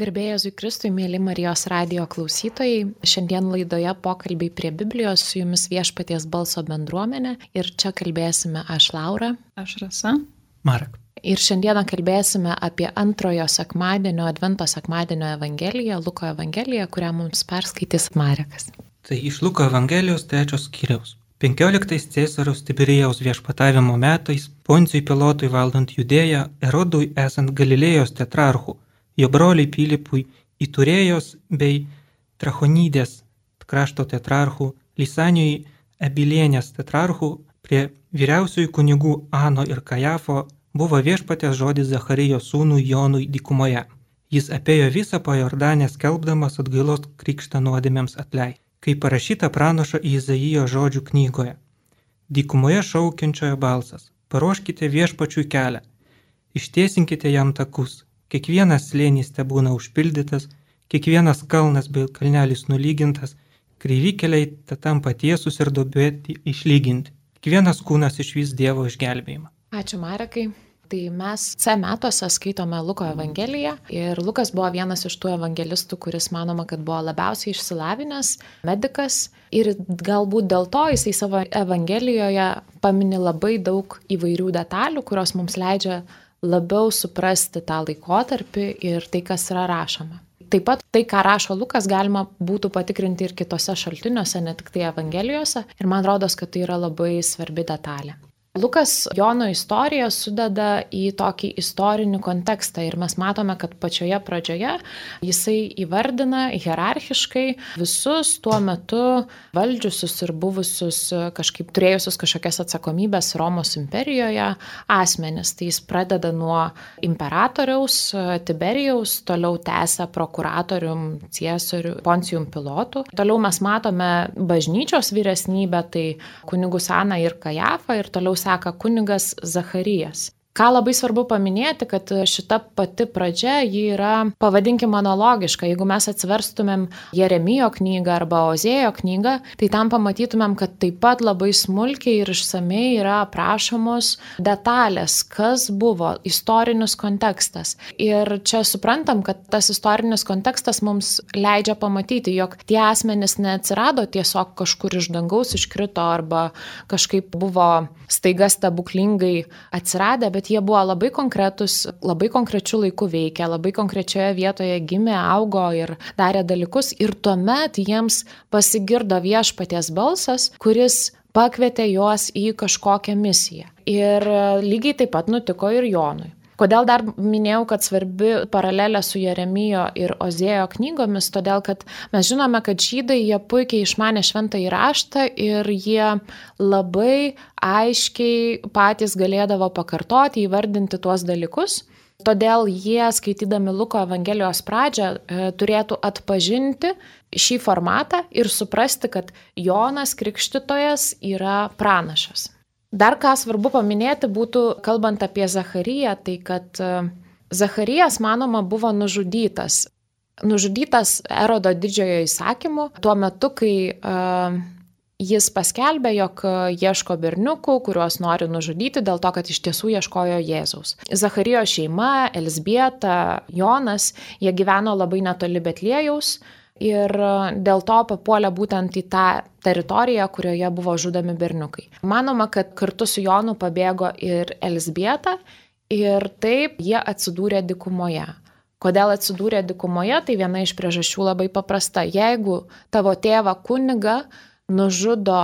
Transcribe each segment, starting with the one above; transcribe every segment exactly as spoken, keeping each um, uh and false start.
Garbė Jėzui Kristui, mėly Marijos radijo klausytojai. Šiandien laidoje pokalbiai prie Biblijos su jumis Viešpaties balso bendruomenė. Ir čia kalbėsime aš Laura. Aš Rasa. Marek. Ir šiandieną kalbėsime apie antrojo sekmadienio, Advento sekmadienio Evangeliją, Luko Evangeliją, kurią mums perskaitys Marekas. Tai iš Luko Evangelijos trečios skyriaus. penkioliktais Cėsariaus Tiberijaus viešpatavimo metais, Poncijui Pilotui valdant Judėją, Erodui esant Galilėjos tetrarchų, jo broliai Pilypui, Iturėjos bei Trachonydės krašto tetrarchų, Lisanijui Abilienės tetrarchų, prie vyriausiųjų kunigų Ano ir Kajafo buvo viešpaties žodis Zacharijo sūnui Jonui dykumoje. Jis apėjo visą po Jordanę skelbdamas atgailos krikštą nuodėmėms atleidimą. Kaip parašyta pranašo Izaijo žodžių knygoje. Dykumoje šaukiančiojo balsas. Paruoškite viešpačiui kelią. Ištiesinkite jam takus. Kiekvienas slėnys tebūna užpildytas, kiekvienas kalnas bei kalnelis nulygintas, kreivi keliai tampa tiesus ir duobėti išlyginti. Kiekvienas kūnas išvys Dievo išgelbėjimą. Ačiū Marekai. Tai mes C metuose skaitome Luko Evangeliją ir Lukas buvo vienas iš tų evangelistų, kuris manoma, kad buvo labiausiai išsilavinęs medikas ir galbūt dėl to jisai savo Evangelijoje pamini labai daug įvairių detalių, kurios mums leidžia labiau suprasti tą laikotarpį ir tai, kas yra rašoma. Taip pat tai, ką rašo Lukas, galima būtų patikrinti ir kitose šaltiniuose, ne tik tai Evangelijose ir man rodos, kad tai yra labai svarbi detalė. Lukas Jono istoriją sudeda į tokį istorinį kontekstą ir mes matome, kad pačioje pradžioje jisai įvardina hierarchiškai visus tuo metu valdžiusius ir buvusius kažkaip turėjusius kažkokias atsakomybės Romos imperijoje asmenis. Tai jis pradeda nuo imperatoriaus Tiberijaus, toliau tęsia prokuratorium Ciesoriu Poncijum Pilotu. Toliau mes matome bažnyčios vyresnybę, tai kunigus Aną ir Kajafą ir toliau seka kunigas Zacharijas. Ką labai svarbu paminėti, kad šita pati pradžia ji yra, pavadinkim, analogiška. Jeigu mes atsiverstumėm Jeremijo knygą arba Ozėjo knygą, tai tam pamatytumėm, kad taip pat labai smulkiai ir išsamei yra aprašomos detalės, kas buvo, istorinis kontekstas. Ir čia suprantam, kad tas istorinis kontekstas mums leidžia pamatyti, jog tie asmenys neatsirado tiesiog kažkur iš dangaus iškrito arba kažkaip buvo staiga stebuklingai atsiradę, bet jie buvo labai konkretus, labai konkrečių laikų veikia, labai konkrečioje vietoje gimė, augo ir darė dalykus ir tuomet jiems pasigirdo viešpaties balsas, kuris pakvietė juos į kažkokią misiją. Ir lygiai taip pat nutiko ir Jonui. Kodėl dar minėjau, kad svarbi paralelė su Jeremijo ir Ozėjo knygomis, todėl kad mes žinome, kad žydai jie puikiai išmanė šventąjį raštą ir jie labai aiškiai patys galėdavo pakartoti, įvardinti tuos dalykus. Todėl jie, skaitydami Luko Evangelijos pradžią, turėtų atpažinti šį formatą ir suprasti, kad Jonas Krikštytojas yra pranašas. Dar ką svarbu paminėti būtų, kalbant apie Zachariją, tai kad Zacharijas, manoma, buvo nužudytas. Nužudytas Erodo didžiojo įsakymu tuo metu, kai uh, jis paskelbė, jog ieško berniukų, kuriuos nori nužudyti dėl to, kad iš tiesų ieškojo Jėzaus. Zacharijo šeima, Elzbieta, Jonas, jie gyveno labai netoli Betliejaus. Ir dėl to papuolė būtent į tą teritoriją, kurioje buvo žudomi berniukai. Manoma, kad kartu su Jonu pabėgo ir Elzbieta ir taip jie atsidūrė dykumoje. Kodėl atsidūrė dykumoje? Tai viena iš priežasčių labai paprasta. Jeigu tavo tėvą kunigą nužudo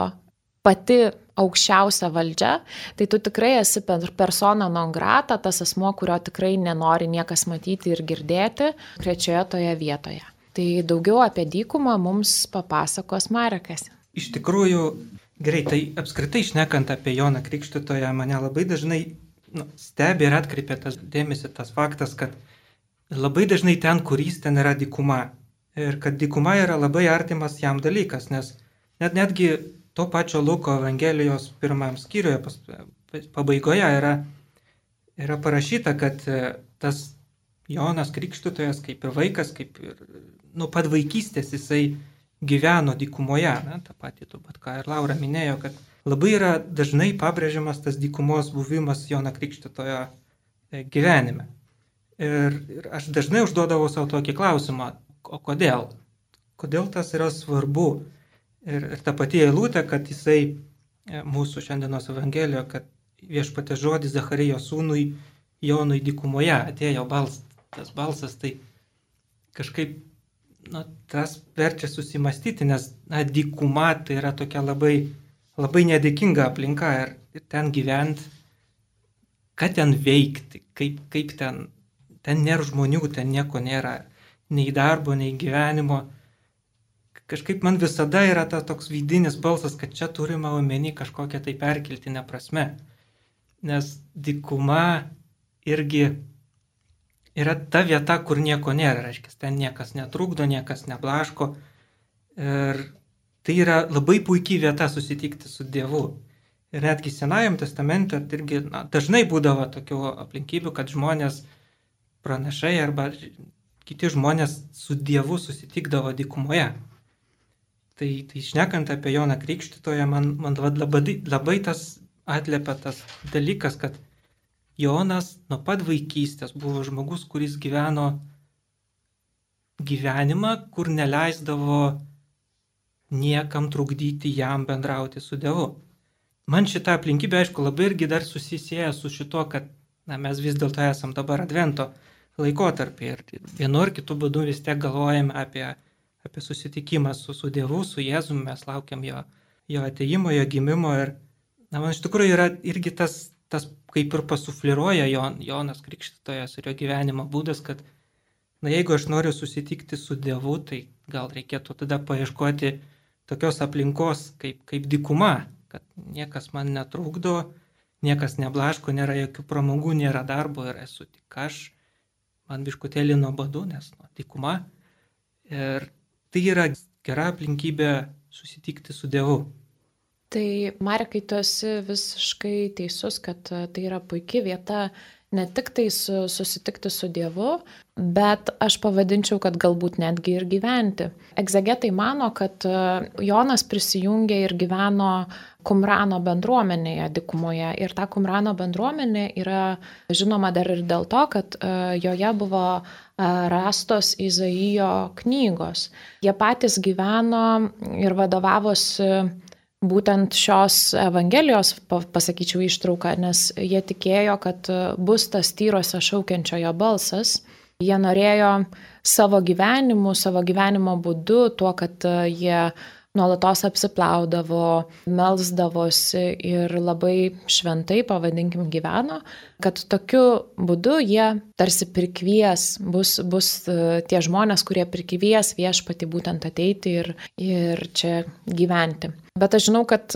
pati aukščiausia valdžia, tai tu tikrai esi persona non grata, tas asmuo, kurio tikrai nenori niekas matyti ir girdėti krečioje toje vietoje. Tai daugiau apie dykumą mums papasakos Marekas. Iš tikrųjų, gerai, tai apskritai šnekant apie Joną Krikštytoją, mane labai dažnai nu, stebi ir atkreipia tas dėmesį tas faktas, kad labai dažnai ten, kur jis ten yra dykuma. Ir kad dykuma yra labai artimas jam dalykas, nes net netgi to pačio Luko Evangelijos pirmam skyriuje pas, pabaigoje yra, yra parašyta, kad tas Jonas Krikštytojas kaip ir vaikas, kaip ir nuo pat vaikystės jisai gyveno dykumoje, na, tą patį turbūt, ką ir Laura minėjo, kad labai yra dažnai pabrėžiamas tas dykumos buvimas Jono Krikštytojo gyvenime. Ir, ir aš dažnai užduodavau savo tokį klausimą, o kodėl? Kodėl tas yra svarbu? Ir, ir ta pati eilutė, kad jisai mūsų šiandienos Evangelijoje, kad viešpaties žodis Zacharijo sūnui Jonui dykumoje atėjo balsas, tas balsas, tai kažkaip, na, tas verčia susimastyti, nes, na, dykuma tai yra tokia labai, labai nedėkinga aplinka ir, ir ten gyventi, ką ten veikti, kaip, kaip ten, ten nėra žmonių, ten nieko nėra, nei darbo, nei gyvenimo. Kažkaip man visada yra ta toks vidinis balsas, kad čia turime omeny kažkokią tai perkeltinę prasme. Nes dykuma irgi yra ta vieta, kur nieko nėra, reiškia, ten niekas netrukdo, niekas neblaško. Ir tai yra labai puikiai vieta susitikti su Dievu. Ir netgi Senajam testamente irgi, na, dažnai būdavo tokių aplinkybių, kad žmonės, pranašai arba kiti žmonės su Dievu susitikdavo dykumoje. Tai, tai šnekant apie Joną Krikštytoją, man, man labai, labai tas atliepia tas dalykas, kad Jonas nuo pat vaikystės buvo žmogus, kuris gyveno gyvenimą, kur neleisdavo niekam trukdyti jam bendrauti su Dievu. Man šitą aplinkybę, aišku, labai irgi dar susisieja su šito, kad, na, mes vis dėlto esam dabar Advento laikotarpį ir vienu ar kitu būdu vis tiek galvojame apie, apie susitikimą su, su Dievu, su Jėzumi, mes laukiam jo, jo atėjimo, jo gimimo ir, na, man iš tikrųjų yra irgi tas, tas kaip ir pasufliruoja Jon, Jonas Krikštytojas ir jo gyvenimo būdas, kad, na, jeigu aš noriu susitikti su Dievu, tai gal reikėtų tada paieškoti tokios aplinkos kaip, kaip dykuma, kad niekas man netrukdo, niekas neblaško, nėra jokių pramogų, nėra darbo ir esu tik aš, man biškutėlį nuobodu, nes, nu, dykuma. Ir tai yra gera aplinkybė susitikti su Dievu. Tai, Marekai, tu esi visiškai teisus, kad tai yra puikia vieta ne tik tai su, susitikti su Dievu, bet aš pavadinčiau, kad galbūt netgi ir gyventi. Egzegetai mano, kad Jonas prisijungė ir gyveno Kumrano bendruomenėje dykumoje. Ir ta Kumrano bendruomenė yra žinoma dar ir dėl to, kad joje buvo rastos Izaijo knygos. Jie patys gyveno ir vadovavosi būtent šios Evangelijos, pasakyčiau, ištrauką, nes jie tikėjo, kad bus tas tyrose šaukiančiojo balsas. Jie norėjo savo gyvenimu, savo gyvenimo būdu, tuo, kad jie nuolatos apsiplaudavo, melsdavosi ir labai šventai, pavadinkim, gyveno, kad tokiu būdu jie tarsi prikvies, bus, bus tie žmonės, kurie prikvies viešpatį būtent ateiti ir, ir čia gyventi. Bet aš žinau, kad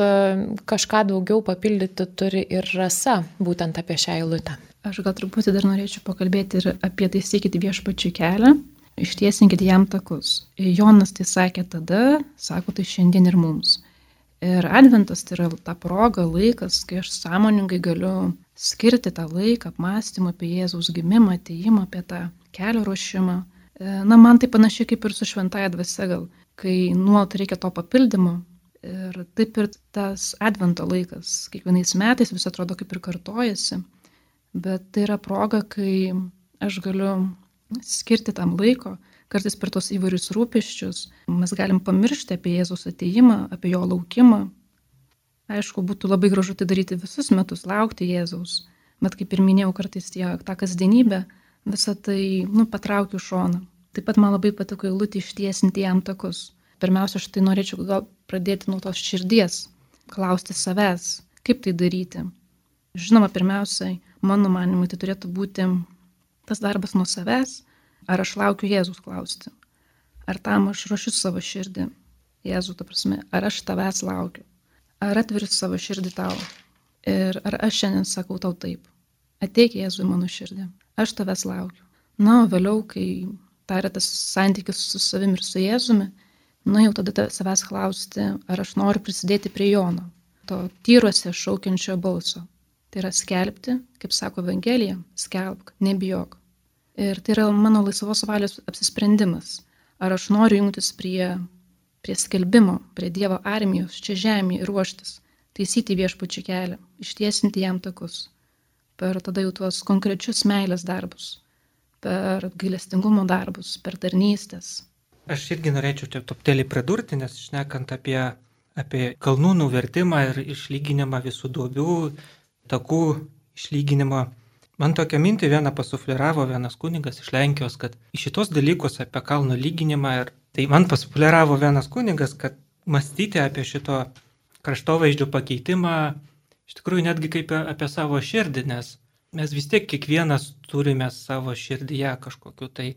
kažką daugiau papildyti turi ir Rasa būtent apie šią eilutę. Aš gal truputį dar norėčiau pakalbėti ir apie taisykit viešpačiui kelią, ištiesinkit jam takus. Jonas tai sakė tada, sako tai šiandien ir mums. Ir Adventas tai yra ta proga, laikas, kai aš sąmoningai galiu skirti tą laiką apmąstymą apie Jėzaus gimimą, atėjimą, apie tą kelio ruošimą. Na, man tai panašiai kaip ir su šventaja dvasia gal, kai nuolat reikia to papildymo. Ir taip ir tas Advento laikas, kiekvienais metais vis atrodo kaip ir kartojasi, bet tai yra proga, kai aš galiu skirti tam laiko, kartais per tos įvairius rūpesčius, mes galim pamiršti apie Jėzaus atėjimą, apie jo laukimą. Aišku, būtų labai gražu tai daryti visus metus, laukti Jėzaus, bet kaip ir minėjau, kartais tie, tą kasdienybę, visą tai, nu, patraukiu šoną. Taip pat man labai patiko eilutė ištiesinti jam takus. Pirmiausia, aš tai norėčiau gal pradėti nuo tos širdies, klausti savęs, kaip tai daryti. Žinoma, pirmiausiai, mano manimui, tai turėtų būti tas darbas nuo savęs, ar aš laukiu Jėzus klausti, ar tam aš ruošiu savo širdį, Jėzų, ta prasme, ar aš tavęs laukiu, ar atveriu savo širdį tau, ir ar aš šiandien sakau tau taip, ateik Jėzui mano širdį, aš tavęs laukiu. Na, o vėliau, kai tai yra tas santykis su savimi ir su Jėzumi, na, jau tada savęs klausti, ar aš noriu prisidėti prie Jono, to tyruose šaukiančio balso. Tai yra skelbti, kaip sako Evangelija, skelbk, nebijok. Ir tai yra mano laisvos valios apsisprendimas. Ar aš noriu jungtis prie, prie skelbimo, prie Dievo armijos, čia žemėje ir ruoštis, taisyti viešpačių kelią, ištiesinti jam takus. Per tada jau tuos konkrečius meilės darbus. per gailestingumo darbus, per tarnystės. Aš irgi norėčiau čia toptelį pridurti, nes šnekant apie, apie kalnų nuvertimą ir išlyginimą visų duobių, takų išlyginimą, man tokią mintį vieną pasufleravo vienas kunigas iš Lenkijos, kad į šitos dalykus apie kalno lyginimą, ir tai man pasufleravo vienas kunigas, kad mąstyti apie šito kraštovaizdžio pakeitimą iš tikrųjų netgi kaip apie savo širdį, nes mes vis tiek kiekvienas turime savo širdyje kažkokiu tai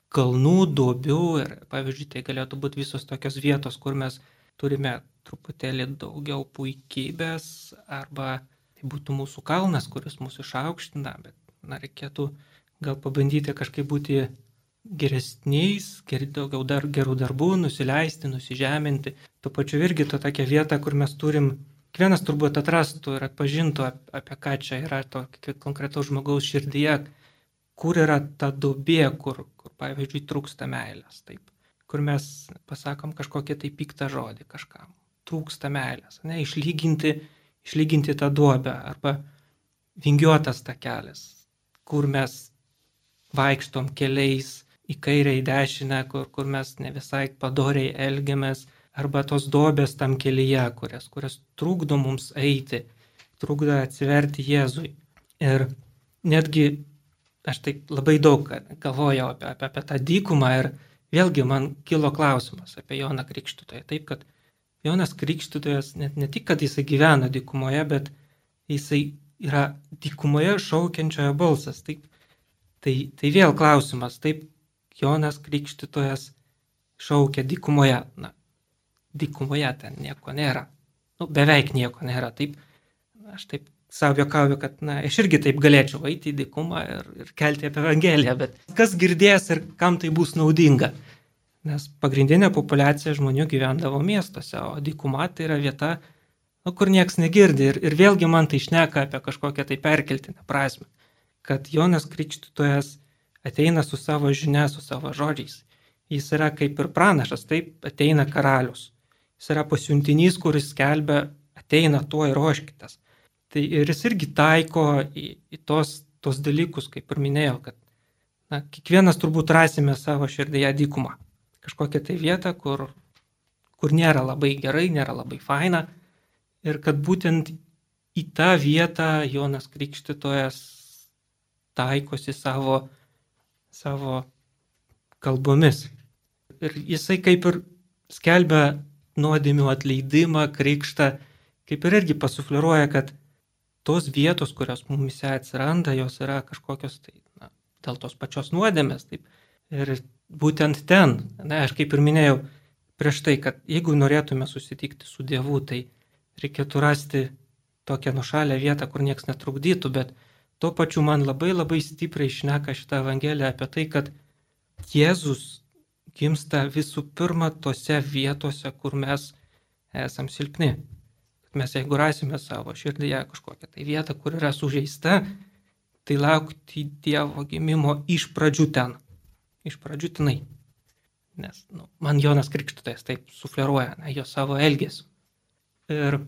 kalnų, duobių ir pavyzdžiui tai galėtų būti visos tokios vietos, kur mes turime truputėlį daugiau puikybės arba tai būtų mūsų kalnas, kuris mūsų išaukština, bet na, reikėtų gal pabandyti kažkaip būti geresniais, ger, daugiau dar, gerų darbų, nusileisti, nusižeminti. Tuo pačiu irgi to tokia vieta, kur mes turim, kiekvienas turbūt atrastų ir atpažintų, apie ką čia yra to konkretaus žmogaus širdyje, kur yra ta duobė, kur, kur pavyzdžiui trūksta meilės, taip, kur mes pasakom kažkokią tai piktą žodį kažkam, trūksta meilės, ne, išlyginti, išlyginti tą duobę arba vingiuotas takelis, kur mes vaikštom keliais į kairę, į dešinę, kur, kur mes ne visai padoriai elgiamės, arba tos duobės tam kelyje, kurias, kurias trukdo mums eiti, trukdo atsiverti Jėzui. Ir netgi aš taip labai daug galvojau apie, apie, apie tą dykumą ir vėlgi man kilo klausimas apie Joną Krikštytoją. Taip, kad Jonas Krikštytojas net ne tik, kad jisai gyvena dykumoje, bet jisai yra dykumoje šaukiančiojo balsas. Taip, tai, tai vėl klausimas, taip, Jonas Krikštytojas šaukia dykumoje. Na, dykumoje ten nieko nėra. Nu, beveik nieko nėra. Taip, aš taip savo juokauju, kad na, aš irgi taip galėčiau eiti į dykumą ir, ir kelti apie Evangeliją, bet kas girdės ir kam tai bus naudinga? Nes pagrindinė populiacija žmonių gyvendavo miestuose, o dykuma tai yra vieta, nu, kur nieks negirdi. Ir, ir vėlgi man tai šneka apie kažkokią tai perkeltinę prasme, kad Jonas Krikštytojas ateina su savo žinia, su savo žodžiais. Jis yra kaip ir pranašas, taip ateina karalius. Jis yra pasiuntinys, kuris skelbia, ateina tuo ir ruoškitės. Tai ir jis irgi taiko į, į tos, tos dalykus, kaip ir minėjau, kad na, kiekvienas turbūt rasime savo širdyje dykumą. Kažkokią tai vietą, kur, kur nėra labai gerai, nėra labai faina. Ir kad būtent į tą vietą Jonas Krikštytojas taikosi savo, savo kalbomis. Ir jisai kaip ir skelbia nuodėmių atleidimą, krikštą, kaip ir irgi pasufleruoja, kad tos vietos, kurios mumise atsiranda, jos yra kažkokios tai, na, dėl tos pačios nuodėmės. Taip. Ir būtent ten, na, aš kaip ir minėjau prieš tai, kad jeigu norėtume susitikti su Dievu, tai reikėtų rasti tokią nušalę vietą, kur nieks netrukdytų, bet tuo pačiu man labai labai stipriai šneka šitą Evangeliją apie tai, kad Jėzus gimsta visų pirma tose vietose, kur mes esam silpni. Mes jeigu rasime savo širdyje kažkokią tai vietą, kur yra sužeista, tai laukti Dievo gimimo iš pradžių ten. Iš pradžių tenai. Nes nu, man Jonas Krikštytojas taip sufleruoja, na, jo savo elgesiu. Ir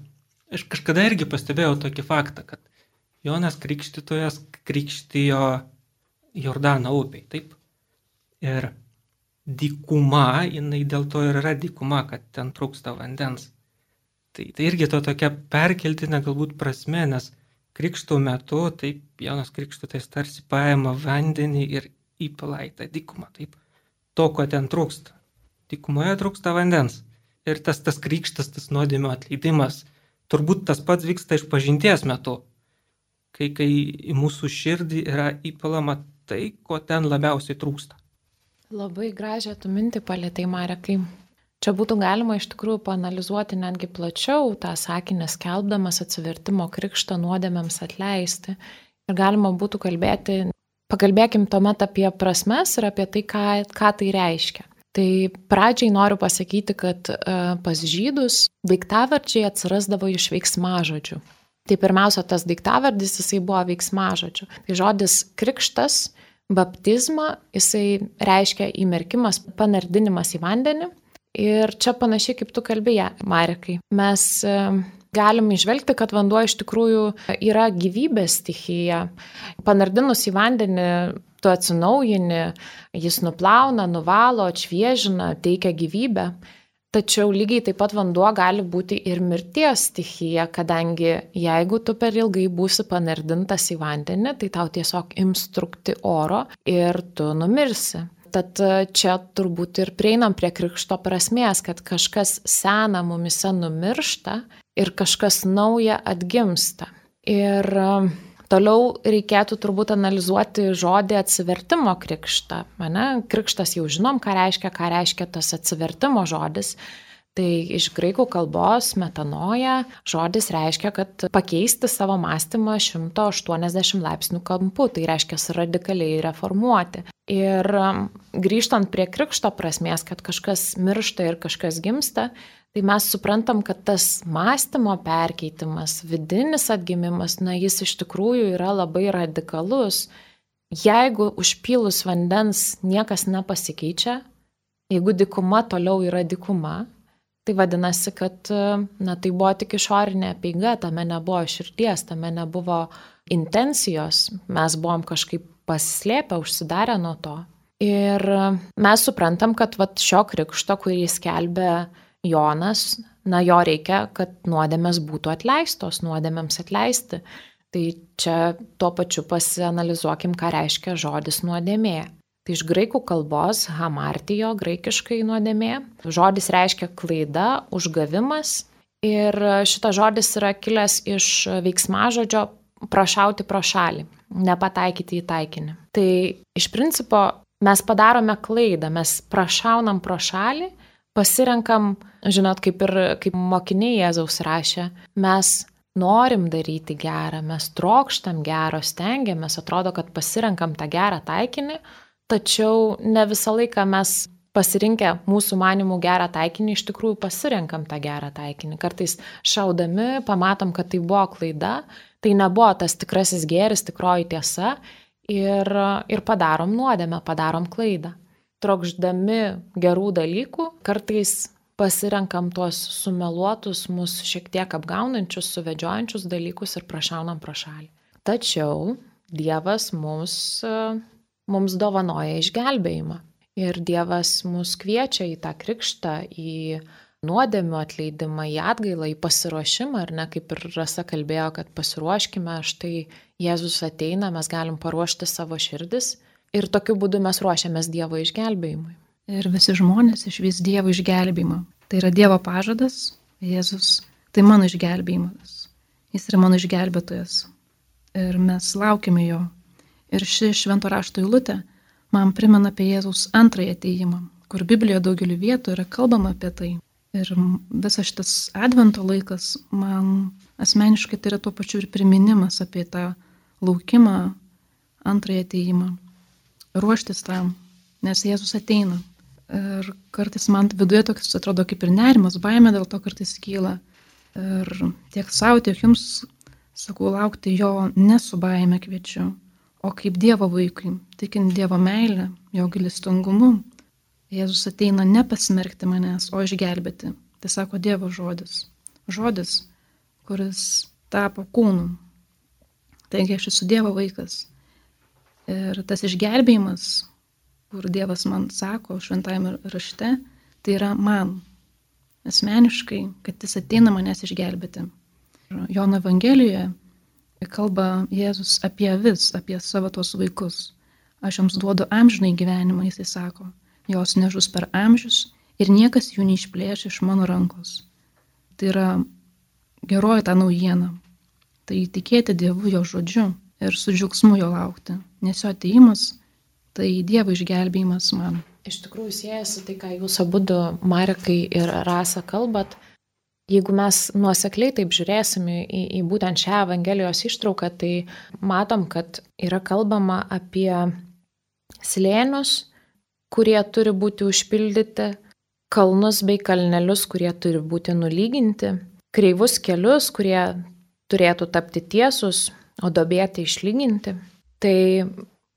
aš kažkada irgi pastebėjau tokį faktą, kad Jonas Krikštytojas krikštijo Jordano upėj, taip? Ir dykuma, jinai dėl to ir yra dykuma, kad ten trūksta vandens. Tai, tai irgi to tokia perkeltinė galbūt prasme, nes krikšto metu, taip, Jonas Krikštytojas tarsi paima vandenį ir įpila į tą dykumą, taip, to, ko ten trūksta. Dykumoje trūksta vandens. Ir tas, tas krikštas, tas nuodėmių atleidimas, turbūt tas pats vyksta išpažinties metu, kai, kai į mūsų širdį yra įpilama tai, ko ten labiausiai trūksta. Labai gražią tu mintį palėtai, Marekai. Čia būtų galima iš tikrųjų paanalizuoti netgi plačiau tą sakinį skelbdamas atsivertimo krikštą nuodėmėms atleisti. Ir galima būtų kalbėti, pakalbėkim tuomet apie prasmes ir apie tai, ką, ką tai reiškia. Tai pradžiai noriu pasakyti, kad uh, pas žydus daiktavardžiai atsirasdavo iš veiksmažodžių. Tai pirmiausia, tas daiktavardis jisai buvo veiksmažodžių. Tai žodis krikštas, baptizma, jisai reiškia įmerkimas, panardinimas į vandenį. Ir čia panašiai kaip tu kalbėjai, Marekai. Mes galim išvelgti, kad vanduo iš tikrųjų yra gyvybės stichija. Panardinus į vandenį, tu atsinaujini, jis nuplauna, nuvalo, atšviežina, teikia gyvybę. Tačiau lygiai taip pat vanduo gali būti ir mirties stichija, kadangi jeigu tu per ilgai būsi panardintas į vandenį, tai tau tiesiog ims trūkti oro ir tu numirsi. Tad čia turbūt ir prieinam prie krikšto prasmės, kad kažkas sena mumise numiršta ir kažkas nauja atgimsta. Ir toliau reikėtų turbūt analizuoti žodį atsivertimo krikštą. Ane? Krikštas jau žinom, ką reiškia, ką reiškia tas atsivertimo žodis. Tai iš graikų kalbos metanoja žodis reiškia, kad pakeisti savo mąstymą šimto aštuoniasdešimt laipsnių kampu, tai reiškia radikaliai reformuoti. Ir grįžtant prie krikšto prasmės, kad kažkas miršta ir kažkas gimsta, tai mes suprantam, kad tas mąstymo perkeitimas, vidinis atgimimas, na, jis iš tikrųjų yra labai radikalus. Jeigu užpylus vandens niekas nepasikeičia, jeigu dykuma toliau yra dykuma, tai vadinasi, kad na, tai buvo tik išorinė apeiga, tame nebuvo širdies, tame nebuvo intencijos, mes buvom kažkaip pasislėpę, užsidarę nuo to. Ir mes suprantam, kad vat, šio krikšto, kurį skelbė Jonas, na, jo reikia, kad nuodėmės būtų atleistos, nuodėmėms atleisti. Tai čia tuo pačiu pasianalizuokim, ką reiškia žodis nuodėmė. Tai iš graikų kalbos hamartijo, graikiškai nuodėmė. Žodis reiškia klaida, užgavimas. Ir šitas žodis yra kilęs iš veiksmažodžio prašauti pro šalį, nepataikyti į taikinį. Tai iš principo mes padarome klaidą, mes prašaunam pro šalį, pasirenkam, žinot, kaip ir kaip mokiniai Jėzaus rašė, mes norim daryti gerą, mes trokštam gero, stengiamės, atrodo, kad pasirenkam tą gerą taikinį, tačiau ne visą laiką mes pasirinkę mūsų manimų gerą taikinį, iš tikrųjų pasirenkam tą gerą taikinį. Kartais šaudami pamatom, kad tai buvo klaida, tai nebuvo tas tikrasis gėris, tikroji tiesa ir, ir padarom nuodėmę, padarom klaidą. Trokšdami gerų dalykų, kartais pasirenkam tuos sumeluotus, mus šiek tiek apgaunančius, suvedžiojančius dalykus ir prašaunam pro šalį. Tačiau Dievas mums, mums dovanoja išgelbėjimą. Ir Dievas mus kviečia į tą krikštą, į nuodėmių atleidimą, į atgailą, į pasiruošimą, ar ne, kaip ir Rasa kalbėjo, kad pasiruoškime, štai Jėzus ateina, mes galim paruošti savo širdis ir tokiu būdu mes ruošiamės Dievo išgelbėjimui. Ir visi žmonės išvys Dievo išgelbėjimą. Tai yra Dievo pažadas, Jėzus, tai mano išgelbėjimas. Jis yra mano išgelbėtojas. Ir mes laukime jo. Ir ši švento rašto eilutė man primena apie Jėzaus antrąjį atėjimą, kur Biblijoje daugeliu vietų yra kalbama apie tai. Ir visas šitas advento laikas man asmeniškai tai yra tuo pačiu ir priminimas apie tą laukimą, antrąjį atėjimą. Ruoštis tam, nes Jėzus ateina. Ir kartais man viduje toks atrodo kaip ir nerimas, baimė dėl to kartais kyla. Ir tiek savo, tiek jums sakau, laukti jo ne su baime kviečiu, o kaip Dievo vaikui, tikint Dievo meilę, jo gailestingumu. Jėzus ateina ne pasmerkti manęs, o išgelbėti. Tai sako Dievo žodis. Žodis, kuris tapo kūnu. Taigi aš esu Dievo vaikas. Ir tas išgelbėjimas, kur Dievas man sako šventajame rašte, tai yra man. Asmeniškai, kad jis ateina manęs išgelbėti. Jono Evangelijoje kalba Jėzus apie avis, apie savo tos vaikus. Aš jums duodu amžinai gyvenimą, jisai sako. Jos nežus per amžius ir niekas jų neišplėš iš mano rankos. Tai yra geroji ta naujiena. Tai tikėti Dievu jo žodžiu ir su džiaugsmu jo laukti. Nes jo atėjimas tai Dievo išgelbėjimas man. Iš tikrųjų siejasi tai, ką jūs abudu, Marekai ir Rasa, kalbat. Jeigu mes nuosekliai taip žiūrėsim į, į būtent šią Evangelijos ištrauką, tai matom, kad yra kalbama apie slėnius, kurie turi būti užpildyti, kalnus bei kalnelius, kurie turi būti nulyginti, kreivus kelius, kurie turėtų tapti tiesus, o duobėti išlyginti. Tai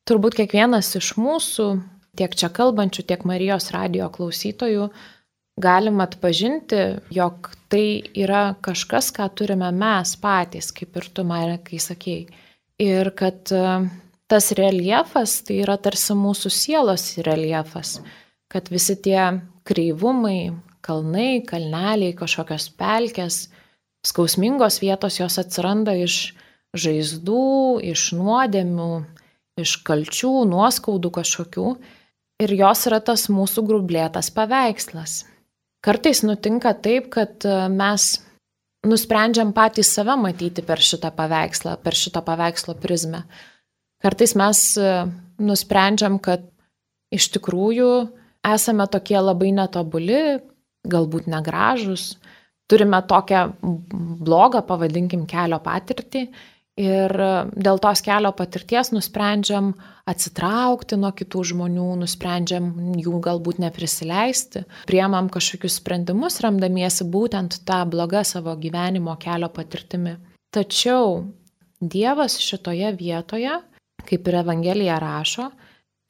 turbūt kiekvienas iš mūsų, tiek čia kalbančių, tiek Marijos radijo klausytojų, galim atpažinti, jog tai yra kažkas, ką turime mes patys, kaip ir tu, Marekai, sakėjai. Ir kad tas reljefas tai yra tarsi mūsų sielos reljefas, kad visi tie kreivumai, kalnai, kalneliai, kažkokios pelkės, skausmingos vietos jos atsiranda iš žaizdų, iš nuodėmių, iš kalčių, nuoskaudų kažkokių. Ir jos yra tas mūsų grublėtas paveikslas. Kartais nutinka taip, kad mes nusprendžiam patys save matyti per šitą paveikslą, per šitą paveikslo prizmę. Kartais mes nusprendžiam, kad iš tikrųjų esame tokie labai netobuli, galbūt negražus, turime tokią blogą, pavadinkim, kelio patirtį ir dėl tos kelio patirties nusprendžiam atsitraukti nuo kitų žmonių, nusprendžiam jų galbūt neprisileisti, priemam kažkokius sprendimus, remdamiesi būtent tą blogą savo gyvenimo kelio patirtimi. Tačiau Dievas šitoje vietoje, kaip ir Evangelija rašo,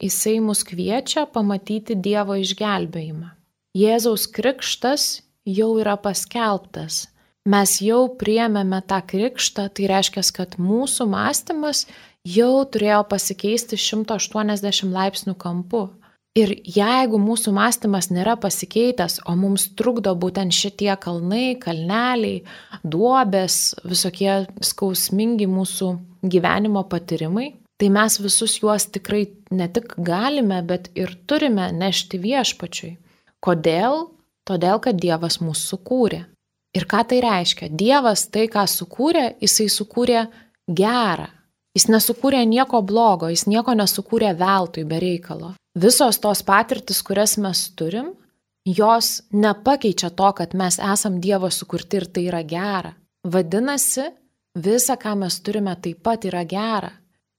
jisai mus kviečia pamatyti Dievo išgelbėjimą. Jėzaus krikštas jau yra paskelbtas. Mes jau priėmėme tą krikštą, tai reiškia, kad mūsų mąstymas jau turėjo pasikeisti šimto aštuoniasdešimt laipsnių kampu. Ir jeigu mūsų mąstymas nėra pasikeitęs, o mums trukdo būtent šitie kalnai, kalneliai, duobės, visokie skausmingi mūsų gyvenimo patyrimai, tai mes visus juos tikrai ne tik galime, bet ir turime nešti viešpačiui. Kodėl? Todėl, kad Dievas mūsų sukūrė. Ir ką tai reiškia? Dievas tai, ką sukūrė, jisai sukūrė gerą. Jis nesukūrė nieko blogo, jis nieko nesukūrė veltui be reikalo. Visos tos patirtis, kurias mes turim, jos nepakeičia to, kad mes esam Dievo sukurti ir tai yra gera. Vadinasi, visa, ką mes turime, taip pat yra gera.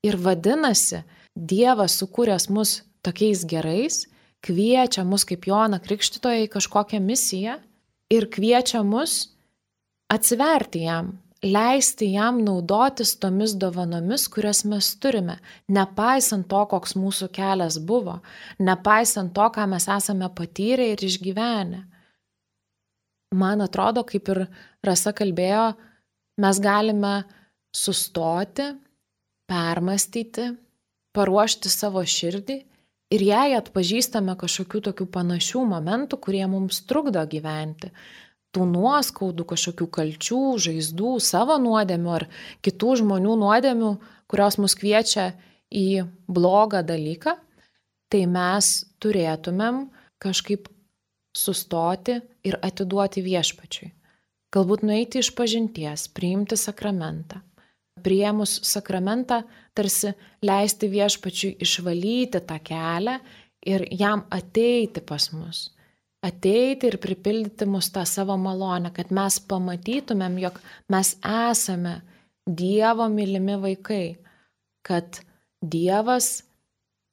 Ir vadinasi, Dievas sukūręs mus tokiais gerais, kviečia mus kaip Joną Krikštytoją į kažkokią misiją ir kviečia mus atsiverti jam, leisti jam naudotis tomis dovanomis, kurias mes turime, nepaisant to, koks mūsų kelias buvo, nepaisant to, ką mes esame patyrę ir išgyvenę. Man atrodo, kaip ir Rasa kalbėjo, mes galime sustoti, permastyti, paruošti savo širdį ir jei atpažįstame kažkokių tokių panašių momentų, kurie mums trukdo gyventi, tų nuoskaudų, kažkokių kalčių, žaizdų, savo nuodėmių ar kitų žmonių nuodėmių, kurios mus kviečia į blogą dalyką, tai mes turėtumėm kažkaip sustoti ir atiduoti viešpačiui. Galbūt nueiti iš pažinties, priimti sakramentą. Priėmus sakramentą, tarsi leisti viešpačiui išvalyti tą kelią ir jam ateiti pas mus. Ateiti ir pripildyti mus tą savo malonę, kad mes pamatytumėm, jog mes esame Dievo mylimi vaikai, kad Dievas,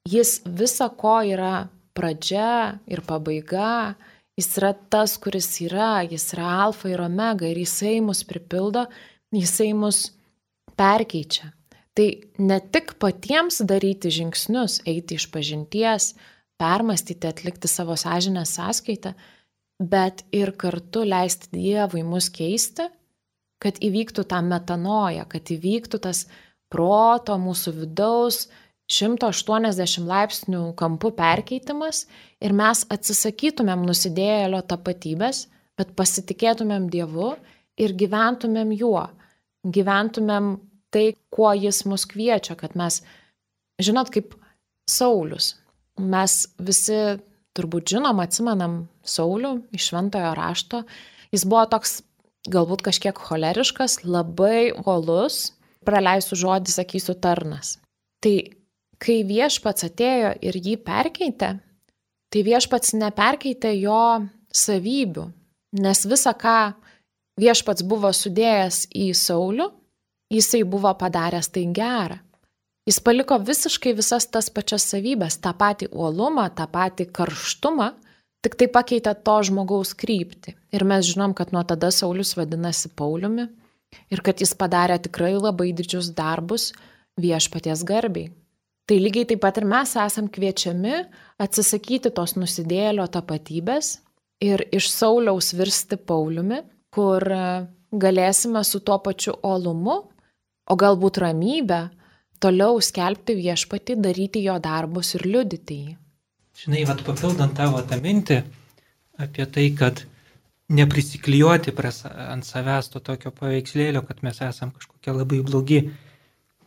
jis visa ko yra pradžia ir pabaiga, jis yra tas, kuris yra, jis yra alfa ir omega ir jisai mus pripildo, jisai mus perkeičia. Tai ne tik patiems daryti žingsnius, eiti iš pažinties, permastyti, atlikti savo sąžinės sąskaitą, bet ir kartu leisti Dievui mus keisti, kad įvyktų tą metanoją, kad įvyktų tas proto mūsų vidaus šimto aštuoniasdešimt laipsnių kampų perkeitimas ir mes atsisakytumėm nusidėjėlio tapatybės, bet pasitikėtumėm Dievu ir gyventumėm juo. Gyventumėm tai, kuo jis mus kviečia, kad mes, žinot, kaip Saulius. Mes visi turbūt žinom, atsimenam Saulių iš Šventojo rašto. Jis buvo toks galbūt kažkiek choleriškas, labai uolus, praleisiu žodį, sakysiu tarnas. Tai kai viešpats atėjo ir jį perkeitė, tai viešpats neperkeitė jo savybių, nes visa, ką viešpats buvo sudėjęs į Saulių, jisai buvo padaręs tai gerą. Jis paliko visiškai visas tas pačias savybės, tą patį uolumą, tą patį karštumą, tik tai pakeitė to žmogaus kryptį. Ir mes žinom, kad nuo tada Saulius vadinasi Pauliumi ir kad jis padarė tikrai labai didžius darbus viešpaties garbiai. Tai lygiai taip pat ir mes esam kviečiami atsisakyti tos nusidėjėlio tapatybės ir iš Sauliaus virsti Pauliumi, kur galėsime su tuo pačiu uolumu, o galbūt ramybę, toliau skelbti viešpatį, daryti jo darbus ir liudyti jį. Žinai, vat papildant tavo tą mintį apie tai, kad neprisiklijuoti ant savęs to tokio paveikslėlio, kad mes esam kažkokie labai blogi.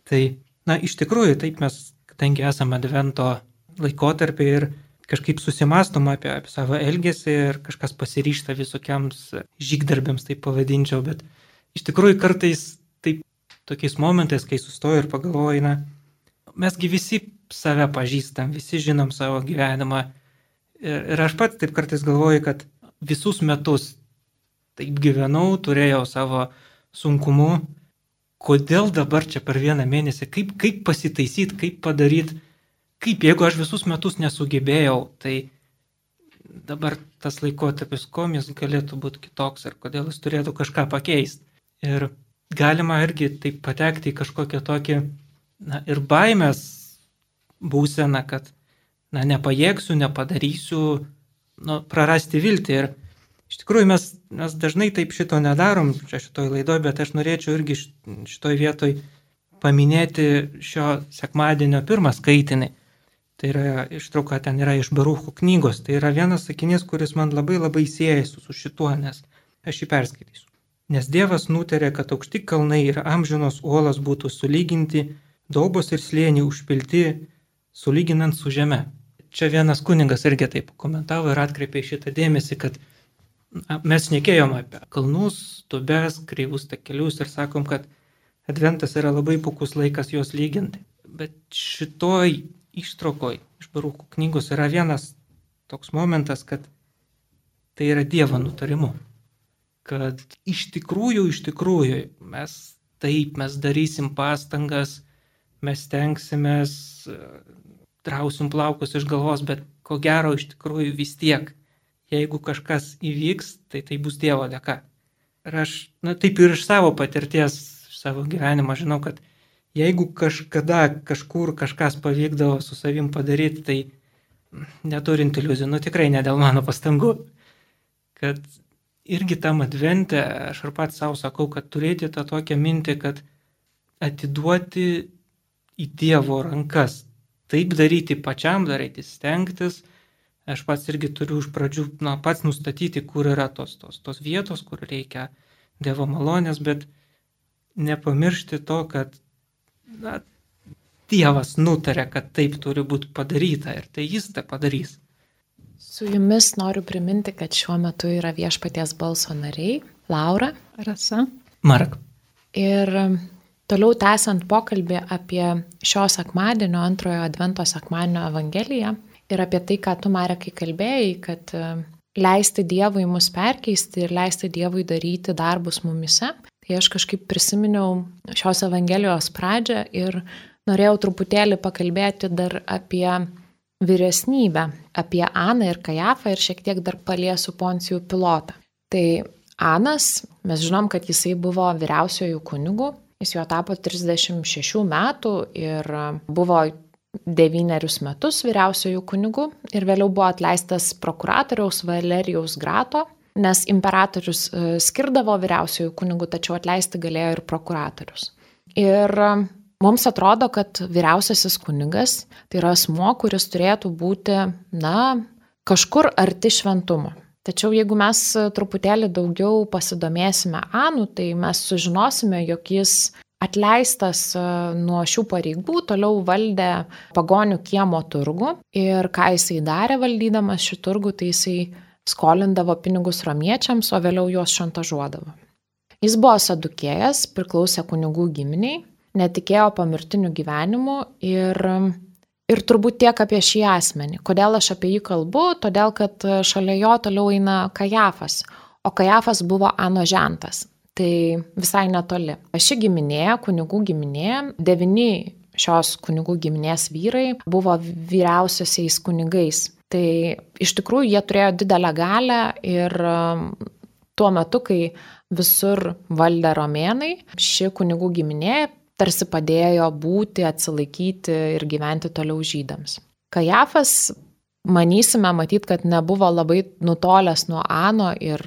Tai, na, iš tikrųjų, taip mes, kadangi esame advento laikotarpį ir kažkaip susimastom apie, apie savo elgesį ir kažkas pasiryžta visokiams žygdarbiams, taip pavadinčiau, bet iš tikrųjų kartais taip tokiais momentais, kai sustoju ir pagalvoju, na, mesgi visi save pažįstam, visi žinom savo gyvenimą. Ir, ir aš pats taip kartais galvoju, kad visus metus taip gyvenau, turėjau savo sunkumų. Kodėl dabar čia per vieną mėnesį, kaip, kaip pasitaisyti, kaip padaryti, kaip jeigu aš visus metus nesugebėjau, tai dabar tas laikotarpis komis galėtų būti kitoks ir kodėl jis turėtų kažką pakeisti. Ir galima irgi taip patekti į kažkokią tokį, na, ir baimės būseną, kad, na, nepajėgsiu, nepadarysiu, nu, prarasti viltį. Ir iš tikrųjų mes, mes dažnai taip šito nedarom čia šitoj laidoj, bet aš norėčiau irgi šitoj vietoj paminėti šio sekmadienio pirmą skaitinį. Tai yra ištrauka, ten yra iš Barucho knygos. Tai yra vienas sakinys, kuris man labai labai siejasi su šituo, nes aš jį perskaitysiu. Nes Dievas nutarė, kad aukšti kalnai ir amžinos uolos būtų sulyginti, daubos ir slėniai užpilti, sulyginant su žeme. Čia vienas kunigas irgi taip komentavo ir atkreipė šitą dėmesį, kad mes šnekėjom apie kalnus, duobes, kreivus takelius ir sakom, kad adventas yra labai puikus laikas juos lyginti. Bet šitoj ištraukoj iš Barucho knygos yra vienas toks momentas, kad tai yra Dievo nutarimu. Kad iš tikrųjų, iš tikrųjų mes taip, mes darysim pastangas, mes tenksimės, trausim plaukus iš galvos, bet ko gero iš tikrųjų vis tiek, jeigu kažkas įvyks, tai tai bus Dievo dėka. Ir aš, na, taip ir iš savo patirties, iš savo gyvenimo žinau, kad jeigu kažkada kažkur kažkas pavykdavo su savim padaryti, tai neturint iliuzijų, nu tikrai ne dėl mano pastangų. Kad irgi tam advente, aš ir pats savo sakau, kad turėti tą tokią mintį, kad atiduoti į Dievo rankas. Taip daryti pačiam, daryti stengtis. Aš pats irgi turiu iš pradžių, na, pats nustatyti, kur yra tos, tos, tos vietos, kur reikia Dievo malonės, bet nepamiršti to, kad, na, Dievas nutarė, kad taip turi būti padaryta ir tai jis tai padarys. Su jumis noriu priminti, kad šiuo metu yra Viešpaties balso nariai Laura, Rasa, Mark. Ir toliau tęsiant pokalbį apie šio sekmadienio, antrojo advento sekmadienio evangeliją ir apie tai, ką tu, Marekai, kalbėjai, kad leisti Dievui mus perkeisti ir leisti Dievui daryti darbus mumise. Tai aš kažkaip prisiminiau šios evangelijos pradžią ir norėjau truputėlį pakalbėti dar apie vyresnybę, apie Aną ir Kajafą ir šiek tiek dar paliesiu Poncijų Pilotą. Tai Anas, mes žinom, kad jisai buvo vyriausiojų kunigų, jis jo tapo trisdešimt šešių metų ir buvo devynerius metus vyriausiojų kunigų ir vėliau buvo atleistas prokuratoriaus Valerijaus Grato, nes imperatorius skirdavo vyriausiojų kunigų, tačiau atleisti galėjo ir prokuratorius. Ir mums atrodo, kad vyriausiasis kunigas tai yra asmuo, kuris turėtų būti, na, kažkur arti šventumo. Tačiau jeigu mes truputėlį daugiau pasidomėsime Anu, tai mes sužinosime, jog jis atleistas nuo šių pareigų, toliau valdė pagonių kiemo turgų ir ką jisai darė valdydamas šį turgų, tai jisai skolindavo pinigus romiečiams, o vėliau juos šantažuodavo. Jis buvo sadukėjas, priklausė kunigų giminiai, netikėjo pomirtiniu gyvenimu ir, ir turbūt tiek apie šį asmenį. Kodėl aš apie jį kalbu? Todėl, kad šalia jo toliau eina Kajafas, o Kajafas buvo Ano žentas. Tai visai netoli. Ši giminė, kunigų giminė, devyni šios kunigų giminės vyrai buvo vyriausiaisiais kunigais. Tai iš tikrųjų jie turėjo didelę galią ir tuo metu, kai visur valdė romėnai, ši kunigų giminė tarsi padėjo būti, atsilaikyti ir gyventi toliau žydams. Kajafas manysime, matyt, kad nebuvo labai nutolęs nuo Ano ir,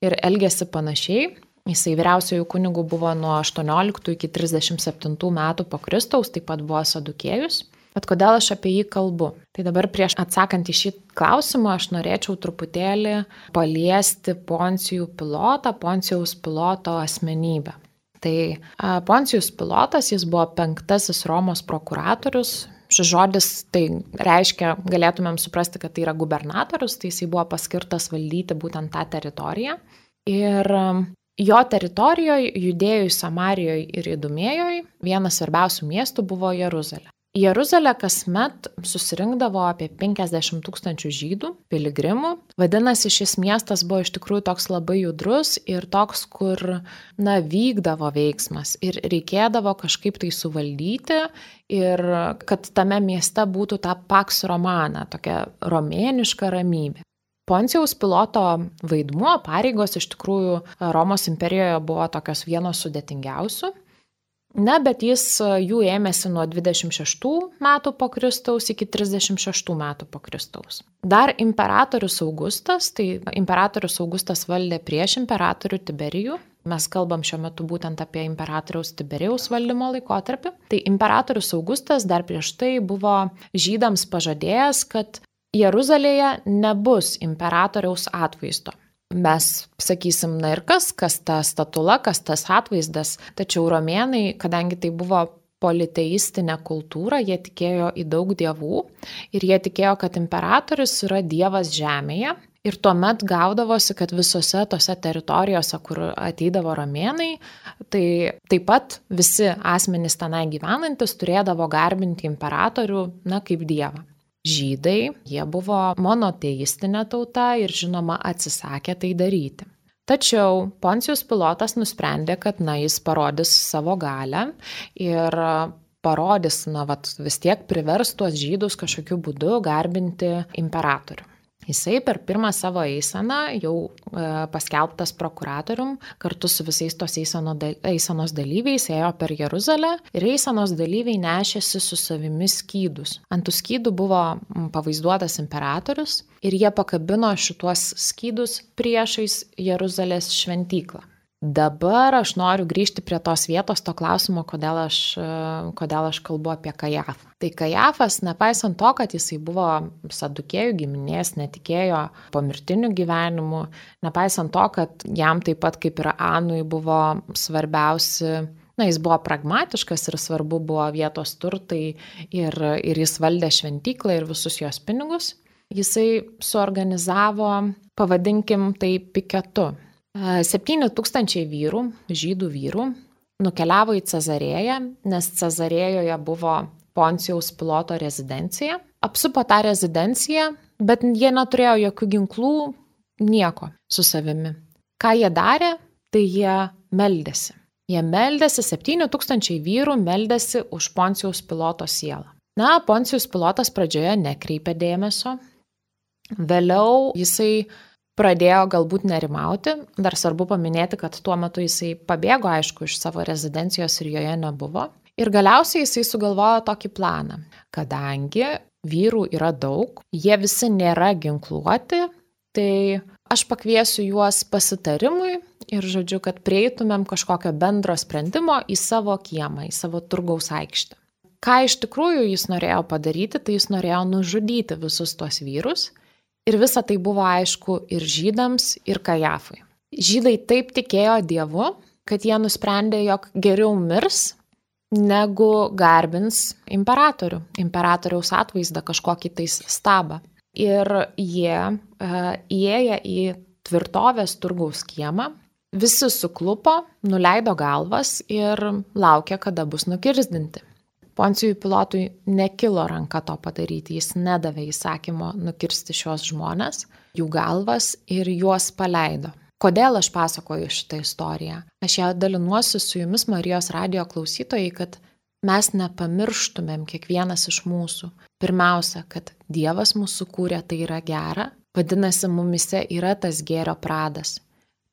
ir elgėsi panašiai. Jisai vyriausiojų kunigų buvo nuo aštuonioliktų iki trisdešimt septintų metų po Kristaus, taip pat buvo sadukėjus. Bet kodėl aš apie jį kalbu? Tai dabar prieš atsakant į šį klausimą aš norėčiau truputėlį paliesti Poncijų Pilotą, Poncijaus Piloto asmenybę. Tai Poncijus Pilotas, jis buvo penktasis Romos prokuratorius. Šis žodis tai reiškia, galėtumėm suprasti, kad tai yra gubernatorius, tai jisai buvo paskirtas valdyti būtent tą teritoriją. Ir jo teritorijoje, Judėjoje, Samarijoje ir Idumėjoje, vienas svarbiausių miestų buvo Jeruzalė. Į Jeruzalę kasmet susirinkdavo apie penkiasdešimt tūkstančių žydų, piligrimų. Vadinasi, šis miestas buvo iš tikrųjų toks labai judrus ir toks, kur, na, vykdavo veiksmas ir reikėdavo kažkaip tai suvaldyti ir kad tame mieste būtų ta Pax Romana, tokia romėniška ramybė. Poncijaus Piloto vaidmuo, pareigos iš tikrųjų Romos imperijoje buvo tokios vienos sudėtingiausių. Ne, bet jis jų ėmėsi nuo dvidešimt šeštų metų po Kristaus iki trisdešimt šeštų metų po Kristaus. Dar imperatorius Augustas, tai imperatorius Augustas valdė prieš imperatorių Tiberijų. Mes kalbam šiuo metu būtent apie imperatoriaus Tiberijaus valdymo laikotarpį. Tai imperatorius Augustas dar prieš tai buvo žydams pažadėjęs, kad Jeruzalėje nebus imperatoriaus atvaizdo. Mes sakysim, na ir kas, kas ta statula, kas tas atvaizdas, tačiau romėnai, kadangi tai buvo politeistinė kultūra, jie tikėjo į daug dievų ir jie tikėjo, kad imperatorius yra dievas žemėje ir tuomet gaudavosi, kad visose tose teritorijose, kur ateidavo romėnai, tai taip pat visi asmenys tenai gyvenantis turėdavo garbinti imperatorių, na, kaip dievą. Žydai, jie buvo monoteistinė tauta ir žinoma atsisakė tai daryti. Tačiau Poncijus Pilotas nusprendė, kad na, jis parodys savo galią ir parodys, na, vat, vis tiek privers tuos žydus kažkokiu būdu garbinti imperatorių. Jisai per pirmą savo eiseną, jau e, paskelbtas prokuratorium, kartu su visais tos eiseno, eisenos dalyviais ėjo per Jeruzalę ir eisenos dalyviai nešėsi su savimi skydus. Ant tų skydų buvo pavaizduotas imperatorius ir jie pakabino šituos skydus priešais Jeruzalės šventyklą. Dabar aš noriu grįžti prie tos vietos, to klausimo, kodėl aš, kodėl aš kalbu apie Kajafą. Tai Kajafas, nepaisant to, kad jisai buvo sadukėjų giminės, netikėjo pomirtiniu gyvenimu, nepaisant to, kad jam taip pat kaip ir Anui buvo svarbiausi, na, jis buvo pragmatiškas ir svarbu buvo vietos turtai ir, ir jis valdė šventyklą ir visus jos pinigus, jisai suorganizavo, pavadinkim tai piketu. Septyni tūkstančiai vyrų, žydų vyrų, nukeliavo į Cezarėją, nes Cezarėjoje buvo Poncijaus Piloto rezidencija. Apsupo tą rezidenciją, bet jie neturėjo jokių ginklų, nieko su savimi. Ką jie darė, tai jie meldėsi. Jie meldėsi, septyni tūkstančiai vyrų meldėsi už Poncijaus Piloto sielą. Na, Poncijus Pilotas pradžioje nekreipė dėmesio, vėliau jisai pradėjo galbūt nerimauti. Dar svarbu paminėti, kad tuo metu jisai pabėgo, aišku, iš savo rezidencijos ir joje nebuvo. Ir galiausiai jisai sugalvojo tokį planą. Kadangi vyrų yra daug, jie visi nėra ginkluoti, tai aš pakviesiu juos pasitarimui ir žodžiu, kad prieitumėm kažkokio bendro sprendimo į savo kiemą, į savo turgaus aikštę. Ką iš tikrųjų jis norėjo padaryti, tai jis norėjo nužudyti visus tuos vyrus. Ir visa tai buvo aišku ir žydams, ir Kajafui. Žydai taip tikėjo Dievu, kad jie nusprendė, jog geriau mirs, negu garbins imperatorių, imperatoriaus atvaizdą kažkokį tais stabą. Ir jie uh, įėję į tvirtovės turgaus kiemą, visi suklupo, nuleido galvas ir laukė, kada bus nukirzdinti. Poncijui Pilotui nekilo ranka to padaryti, jis nedavė įsakymo nukirsti šios žmonės, jų galvas ir juos paleido. Kodėl aš pasakoju šitą istoriją? Aš ją dalinuosi su jumis, Marijos radijo klausytojai, kad mes nepamirštumėm kiekvienas iš mūsų. Pirmiausia, kad Dievas mūsų kūrė, tai yra gera, vadinasi, mumise yra tas gėrio pradas.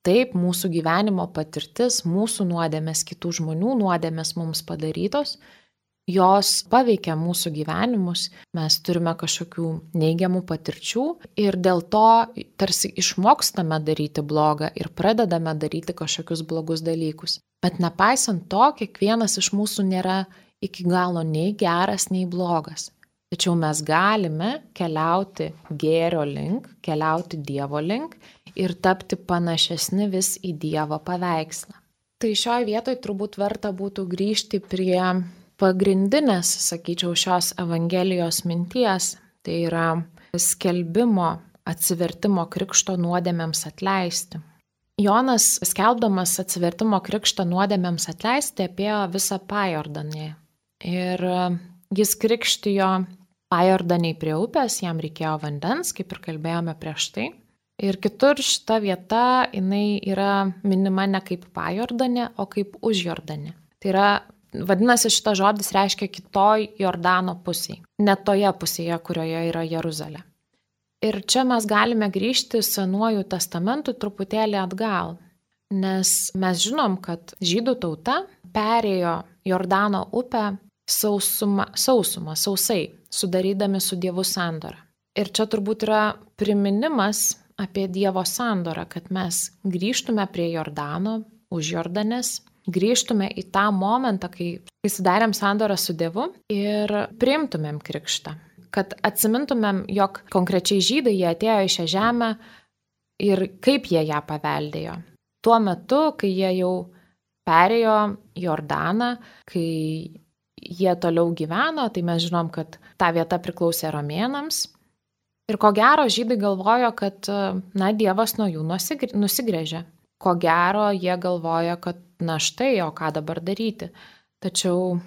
Taip, mūsų gyvenimo patirtis, mūsų nuodėmės, kitų žmonių nuodėmės mums padarytos, jos paveikia mūsų gyvenimus, mes turime kažkokių neigiamų patirčių ir dėl to tarsi išmokstame daryti blogą ir pradedame daryti kažkokius blogus dalykus. Bet nepaisant to, kiekvienas iš mūsų nėra iki galo nei geras, nei blogas. Tačiau mes galime keliauti gėrio link, keliauti Dievo link ir tapti panašesni vis į Dievo paveikslą. Tai šioje vietoje turbūt verta būtų grįžti prie pagrindinės, sakyčiau, šios Evangelijos minties, tai yra skelbimo, atsivertimo krikšto nuodėmėms atleisti. Jonas, skelbdamas atsivertimo krikšto nuodėmėms atleisti, apėjo visą Pajordanę. Ir jis krikštijo Pajordaniai prie upės, jam reikėjo vandens, kaip ir kalbėjome prieš tai. Ir kitur šita vieta, jinai yra minima ne kaip Pajordanė, o kaip už Jordanę. Tai yra, vadinasi, šitas žodis reiškia kitoj Jordano pusėje, ne toje pusėje, kurioje yra Jeruzalė. Ir čia mes galime grįžti Senuoju testamentu truputėlį atgal, nes mes žinom, kad žydų tauta perėjo Jordano upę sausumą, sausumą, sausai, sudarydami su Dievu sandorą. Ir čia turbūt yra priminimas apie Dievo sandorą, kad mes grįžtume prie Jordano, už Jordanės, grįžtume į tą momentą, kai sudarėm sandorą su Dievu ir priimtumėm krikštą. Kad atsimintumėm, jog konkrečiai žydai jie atėjo į šią žemę ir kaip jie ją paveldėjo. Tuo metu, kai jie jau perėjo Jordaną, kai jie toliau gyveno, tai mes žinom, kad ta vieta priklausė romėnams. Ir ko gero žydai galvojo, kad na, Dievas nuo jų nusigręžė. Ko gero jie galvojo, kad na štai, o ką dabar daryti. Tačiau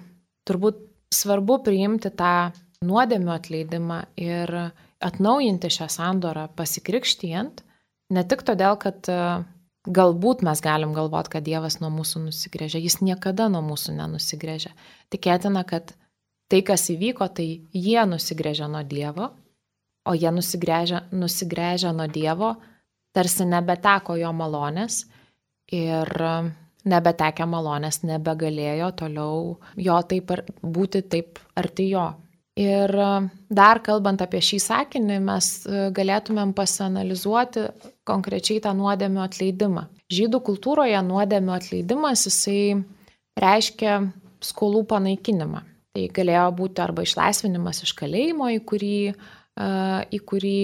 turbūt svarbu priimti tą nuodėmių atleidimą ir atnaujinti šią sandorą pasikrikštijant, ne tik todėl, kad galbūt mes galim galvoti, kad Dievas nuo mūsų nusigręžia, jis niekada nuo mūsų nenusigręžia. Tikėtina, kad tai, kas įvyko, tai jie nusigręžia nuo Dievo, o jie nusigręžia, nusigręžia nuo Dievo, tarsi nebeteko jo malonės ir nebetekę malonės nebegalėjo toliau jo taip ar, būti taip arti jo. Ir dar kalbant apie šį sakinį, mes galėtumėm pasianalizuoti konkrečiai tą nuodėmių atleidimą. Žydų kultūroje nuodėmių atleidimas, jisai reiškia skolų panaikinimą. Tai galėjo būti arba išlaisvinimas iš kalėjimo, į kurį, į kurį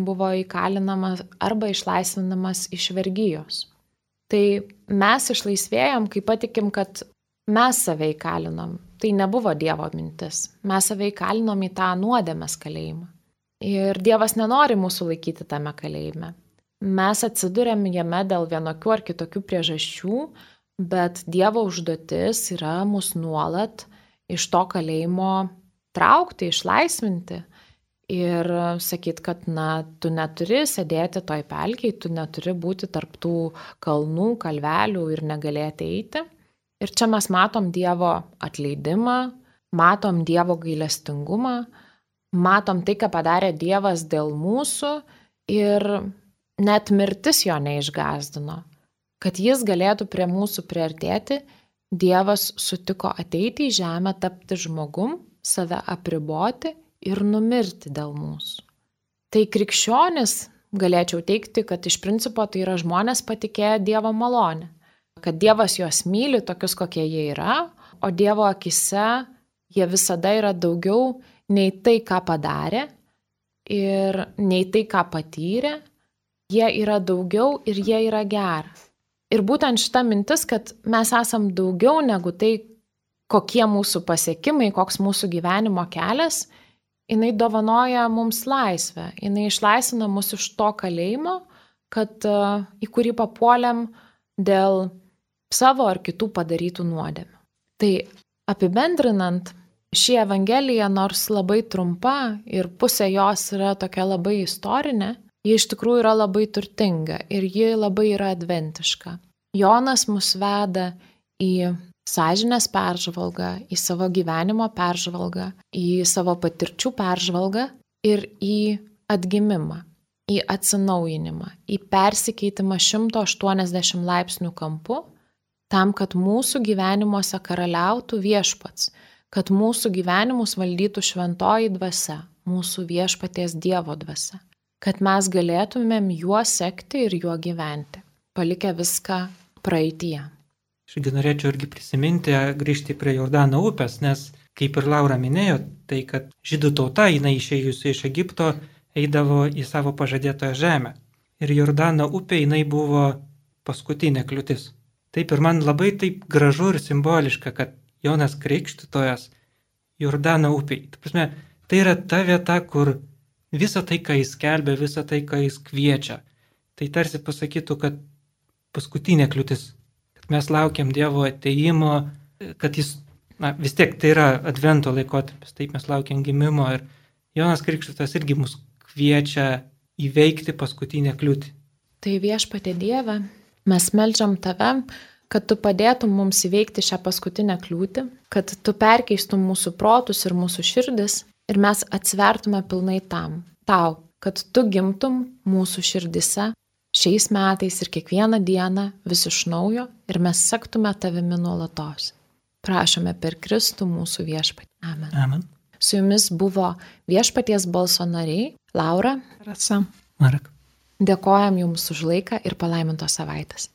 buvo įkalinamas, arba išlaisvinimas iš vergijos. Tai mes išlaisvėjom, kai patikim, kad mes save įkalinom. Tai nebuvo Dievo mintis. Mes save įkalinom į tą nuodėmės kalėjimą. Ir Dievas nenori mūsų laikyti tame kalėjime. Mes atsidurėm jame dėl vienokių ar kitokių priežasčių, bet Dievo užduotis yra mus nuolat iš to kalėjimo traukti, išlaisvinti. Ir sakyt, kad na, tu neturi sėdėti toj pelkėj, tu neturi būti tarp tų kalnų, kalvelių ir negalėti eiti. Ir čia mes matom Dievo atleidimą, matom Dievo gailestingumą, matom tai, ką padarė Dievas dėl mūsų ir net mirtis jo neišgąsdino. Kad jis galėtų prie mūsų priartėti, Dievas sutiko ateiti į žemę, tapti žmogum, save apriboti ir numirti dėl mūsų. Tai krikščionis, galėčiau teikti, kad iš principo tai yra žmonės patikėję Dievo malonę. Kad Dievas juos myli tokius, kokie jie yra, o Dievo akise jie visada yra daugiau nei tai, ką padarė ir nei tai, ką patyrė. Jie yra daugiau ir jie yra geras. Ir būtent šita mintis, kad mes esam daugiau negu tai, kokie mūsų pasiekimai, koks mūsų gyvenimo kelias, jinai dovanoja mums laisvę. Jinai išlaisvina mus iš to kalėjimo, kad, į kurį papuolėm dėl savo ar kitų padarytų nuodėmių. Tai apibendrinant, ši Evangelija, nors labai trumpa ir pusė jos yra tokia labai istorinė, ji iš tikrųjų yra labai turtinga ir ji labai yra adventiška. Jonas mus veda į sąžinės peržvalgą, į savo gyvenimo peržvalgą, į savo patirčių peržvalgą ir į atgimimą, į atsinaujinimą, į persikeitimą šimto aštuoniasdešimt laipsnių kampu, tam, kad mūsų gyvenimuose karaliautų viešpats, kad mūsų gyvenimus valdytų šventoji dvasia, mūsų viešpaties Dievo dvasia, kad mes galėtumėm juo sekti ir juo gyventi, palikę viską praeityje. Aš norėčiau irgi prisiminti, grįžti prie Jordano upės, nes kaip ir Laura minėjo, tai kad žydų tauta, jinai išėjusi iš Egipto, eidavo į savo pažadėtoją žemę. Ir Jordano upė, jinai buvo paskutinė kliūtis. Taip ir man labai taip gražu ir simboliška, kad Jonas Krikštytojas Jordano upėj. Ta prasme, tai yra ta vieta, kur visa tai, ką jis skelbia, visa tai, ką jis kviečia, tai tarsi pasakytų, kad paskutinė kliūtis, kad mes laukiam Dievo ateimo, kad jis, na vis tiek tai yra advento laikotarpis, taip mes laukiam gimimo ir Jonas Krikštytojas irgi mus kviečia įveikti paskutinę kliūtį. Tai viešpatie Dieve, mes meldžiam tave, kad tu padėtum mums įveikti šią paskutinę kliūtį, kad tu perkeistum mūsų protus ir mūsų širdis ir mes atsvertume pilnai tam, tau, kad tu gimtum mūsų širdise šiais metais ir kiekvieną dieną vis iš naujo ir mes sektume tavimi nuolatos. Prašome per Kristų mūsų viešpatį. Amen. Amen. Su jumis buvo Viešpaties balso nariai Laura, Rasa, Marek. Dėkojam jums už laiką ir palaimintos savaitės.